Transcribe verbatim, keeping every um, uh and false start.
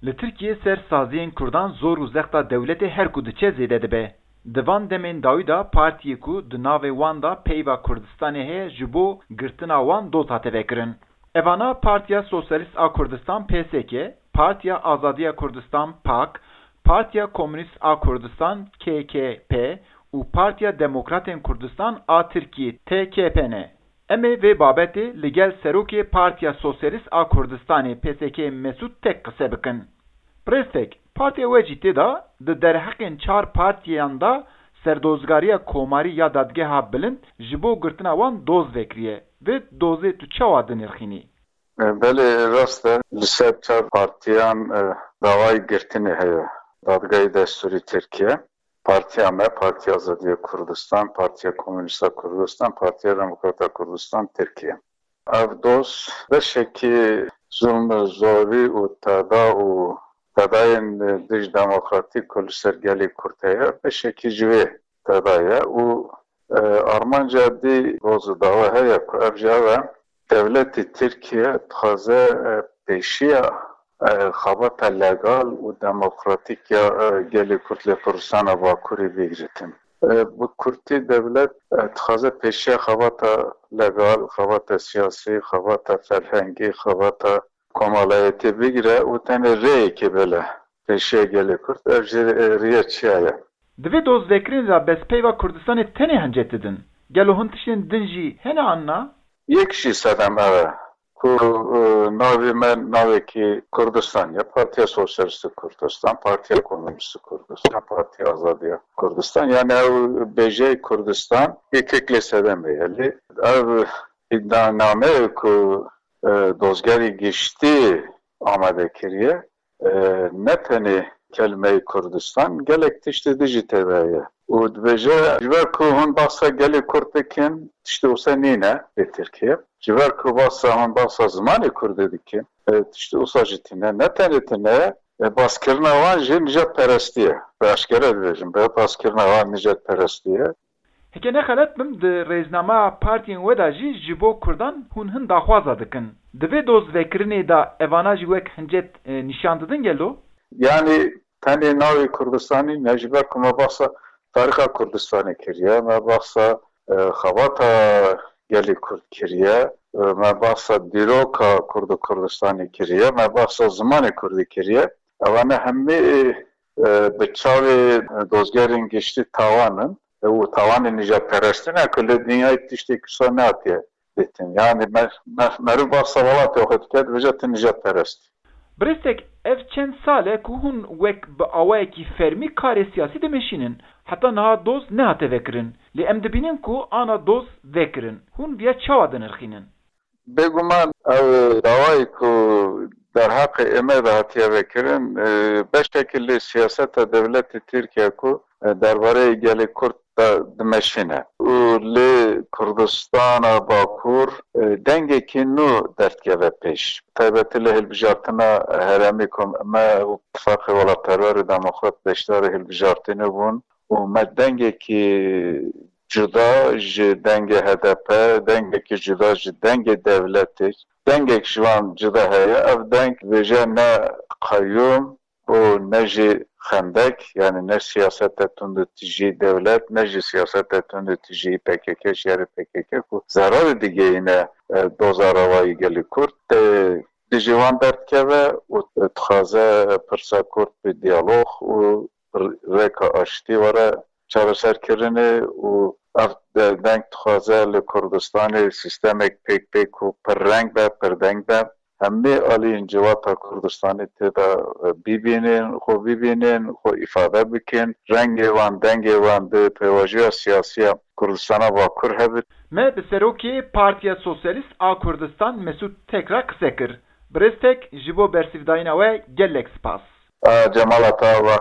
Li Tirkiyê ser saziyên Kurdan zor û zexta dewletê her ku diçe zêde dibe. Di van demên dawî de partiyê ku di navê wan de peyva Kurdistanê heye ji bo girtina wan doz hate vekirin. Evana Partiya Sosyalîst a Kurdistan, P S K, Partiya Azadiya Kurdistan, pak, Partiya Komûnîst a Kurdistan, K K P, û Partiya Demokratên Kurdistan a Tirkiyê, T K P ne. Em ê vê babetê li gel Serokê Partiya Sosyalîst a Kurdistanê, P S K, Mesûd Tek qise bikin. Birêz Tek, partiya we jî tê de di derheqên çar partiyan de serdozgariya komarî ya Dadgeha Bilind ji bo girtina wan doz vekiriye. Vê dozê tu çawa dinirxînî? E, belê, rast e. Li ser çar partiyan, e, dawayê girtinê heye. Dadgehê Destûrî Tirkiye, Partiya me, Partiya Azadiya Kurdistan, Partiya Komûnîst a Kurdistan, Partiya Demokrat a Kurdistan Tirkiye. Ev doz beşekî zulm, zorî û teda û tedayên dij demokratîk ku li ser gelê Kurd heye, beşekî ji wê teda ye û, e, armanca dî doz û dawa heye ku ev jî ev e, dewletê Tirkiye dixwaze, e, pêşiya, e, xebata legal û demokratîk ya, e, gelê Kurd lê Kurdistana Bakurê bigiritin. E, bi kurtî dewlet, e, dixwaze pêşiya xebata legal, xebata siyasî, xebata ferhengî, xebata komalayetê bigire û tenê rêyekê bile pêşiya gelê Kurd, ev jî, e, riya çiya ye. Di vê dozvekirinê de bes peyva Kurdistanê tenê hincet didin. Gelo hin tiştên din jî hene an na? Yek jî sedem ev e ku, e, navê me navekî Kurdistan ye. Partiya Sosyalîst a Kurdistan, Partiya Komûnîst a Kurdistan, Partiya Azadiya Kurdistan. Yani ew bêjeyê Kurdistan yekek lê sedemê ye. Lê ev îddianameyê ku, e, dozgerê giştî amade kiriye, e, ne tenê kelimeyê Kurdistan, gelek tiştê din jî tê de ye. Û dibêje, ji ber ku hûn behsa gelê Kurd dikin, tiştê wisa nîne li Tirkiye. Ji ber ku behsa hûn behsa zimanê Kurdî dikin, e, tiştê wisa jî tîne. Ne tenê tine, e, baskirina wan jî nijadperestî ye. Bi eşkere dibêjim, bi baskirina wan nijadperestî ye. Heke ne xelet bim, di rêznama partiyên we de jî ji bo Kurdan hûn hin daxwaza dikin. Di vê dozvekirinê de evana jî wek hincet, e, nîşan didin gelo? Yanî tenê navê Kurdistanî ne, ji ber ku me behsa tarîxa Kurdistanê kiriye, me behsa, e, xebata gelê Kurd kiriye, e, me behsa dîroka Kurd û Kurdistanê kiriye, me behsa zimanê Kurdî kiriye. Evane hemî, e, bi çavê dozgerên giştî tawan in. û tawanê nijadperestî ne ku li dinyayê tiştê kisa nehatiye dîtin. Yani mer-, mer-, meriv behsa welatê xwe dike, dibêje tu nijadperest î. Birêz Tek, ev çend sal e ku hûn wek bi awayekî fermî karê siyasî dimeşînin. Heta niha doz nehate vekirin. Lê em dibînin ku ana doz vekirin. Hûn viya çawa dinirxînin? Bêguman ew dawayî ku derheqê ême de hatiye vekirin, e, beşekî li siyaseta dewletê Tirkiye ku, e, derbareyê gelê Kurd de dimeşîne û li Kurdistana Bakur, e, dengekî nû derdikeve pêş. Taybetî li hilbijartina herêmê ku me û Tifaqê Welatperwer û Demokrat beşdarî hilbijartinê bûn û me dengekî cuda ji dengê H D P, dengekî cuda ji dengê dewletê, dengek ji wan cuda heye. Ev deng dibêje ne qeyûm û ne jî xendek, yani ne siyasete tundûtijî dewlet, ne jî siyasete tundûtijî P K K, şerê P K K ku zerarê digeyîne, e, doza rewayî gelê Kurd. E, dijî wan derdikeve û dixwaze pirsa Kurd bi diyalog û rêka aştî were çareserkirinê û ev de-, deng dixwaze li Kurdistanê sîstemek pêk pêk û pirreng be, pirdeng be. Hemî aliyên civata Kurdistanê tê de, e, bibînin, xwe bibînin, xwe îfade bikin. Rengê wan, dengê wan di pêvajoya siyasî ya Kurdistana Bakur hebit. Me bi serokê Partiya Sosyalîst a Kurdistan Mesûd Tek re qise kir. Birêz Tek, ji bo bersivdayîna we gelek spas. A, Cemala te ava.